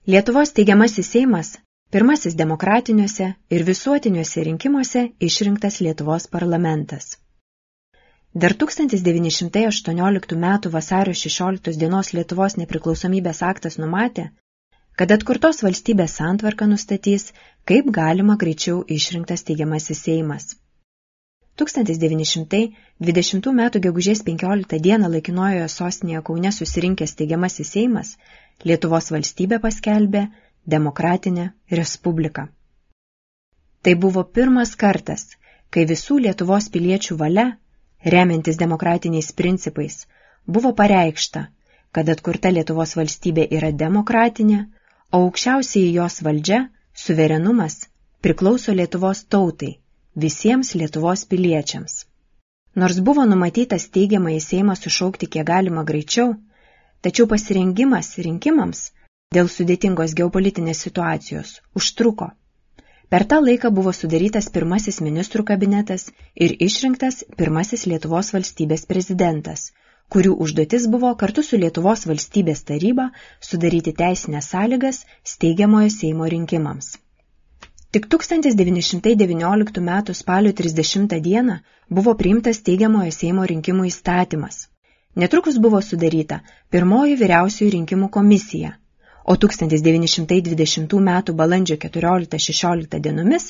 Lietuvos steigiamasis Seimas pirmasis demokratiniuose ir visuotiniuose rinkimuose išrinktas Lietuvos parlamentas. Dar 1918 m. vasario 16 dienos Lietuvos nepriklausomybės aktas numatė, kad atkurtos valstybės santvarką nustatys, kaip galima greičiau išrinktas steigiamasis Seimas. 1920 m. gegužės 15 dieną laikinojoje sostinėje Kaune susirinkęs steigiamasis Seimas Lietuvos valstybę paskelbė demokratinę respubliką. Tai buvo pirmas kartas, kai visų Lietuvos piliečių valia, remiantis demokratiniais principais, buvo pareikšta, kad atkurta Lietuvos valstybė yra demokratinė, o aukščiausiai jos valdžia, suverenumas, priklauso Lietuvos tautai, visiems Lietuvos piliečiams. Nors buvo numatytas steigiamąjį Seimą sušaukti kiek galima greičiau, tačiau pasirengimas rinkimams dėl sudėtingos geopolitinės situacijos užtruko. Per tą laiką buvo sudarytas pirmasis ministrų kabinetas ir išrinktas pirmasis Lietuvos valstybės prezidentas, kurių užduotis buvo kartu su Lietuvos valstybės taryba sudaryti teisinės sąlygas steigiamojo Seimo rinkimams. Tik 1919 m. spalio 30 dieną buvo priimtas steigiamojo Seimo rinkimų įstatymas. Netrukus buvo sudaryta pirmoji vyriausiųjų rinkimų komisija, o 1920 m. balandžio 14-16 dienomis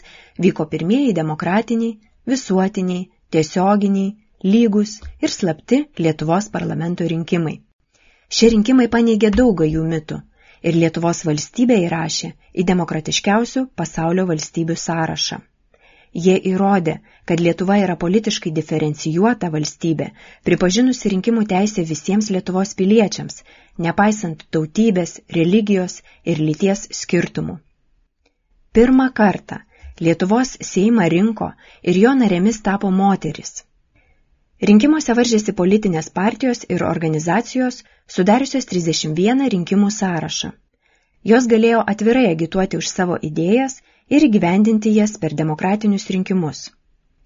vyko pirmieji demokratiniai, visuotiniai, tiesioginiai, lygus ir slapti Lietuvos parlamento rinkimai. Šie rinkimai paneigė daug gajų mitų ir Lietuvos valstybę įrašė į demokratiškiausių pasaulio valstybių sąrašą. Jie įrodė, kad Lietuva yra politiškai diferencijuota valstybė, pripažinusi rinkimų teisę visiems Lietuvos piliečiams, nepaisant tautybės, religijos ir lyties skirtumų. Pirmą kartą Lietuvos Seimą rinko ir jo narėmis tapo moterys. Rinkimuose varžėsi politinės partijos ir organizacijos, sudariusios 31 rinkimų sąrašą. Jos galėjo atvirai agituoti už savo idėjas ir įgyvendinti jas per demokratinius rinkimus.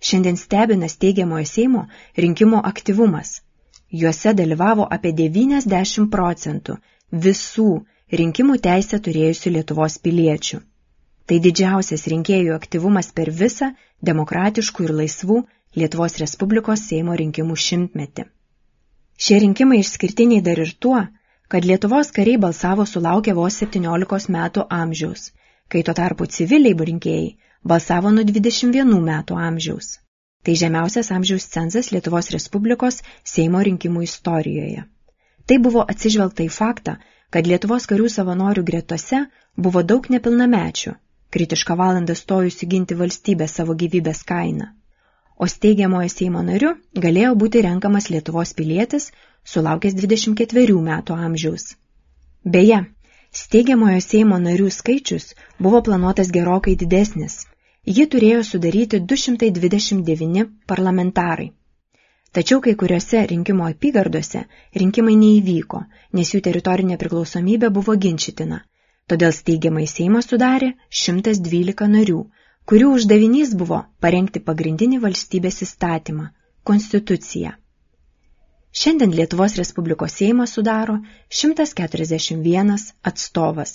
Šiandien stebina steigiamojo Seimo rinkimų aktyvumas. Juose dalyvavo apie 90% visų rinkimų teisę turėjusių Lietuvos piliečių. Tai didžiausias rinkėjų aktyvumas per visą demokratiškų ir laisvų Lietuvos Respublikos Seimo rinkimų šimtmetį. Šie rinkimai išskirtiniai dar ir tuo, kad Lietuvos kariai balsavo sulaukę vos 17 metų amžiaus, kai tuo tarpu civiliai rinkėjai balsavo nuo 21 metų amžiaus. Tai žemiausias amžiaus cenzas Lietuvos Respublikos Seimo rinkimų istorijoje. Tai buvo atsižvelgta į faktą, kad Lietuvos karių savanorių gretose buvo daug nepilnamečių, kritišką valandą stojusių ginti valstybę savo gyvybės kainą. O steigiamojo Seimo nariu galėjo būti renkamas Lietuvos pilietis, sulaukęs 24 metų amžiaus. Beje, steigiamojo Seimo narių skaičius buvo planuotas gerokai didesnis. Jį turėjo sudaryti 229 parlamentarai. Tačiau kai kuriuose rinkimo apygardose rinkimai neįvyko, nes jų teritorinė priklausomybė buvo ginčytina. Todėl steigiamąjį Seimą sudarė 112 narių, kurių uždavinys buvo parengti pagrindinį valstybės įstatymą – Konstituciją. Šiandien Lietuvos Respublikos Seimą sudaro 141 atstovas.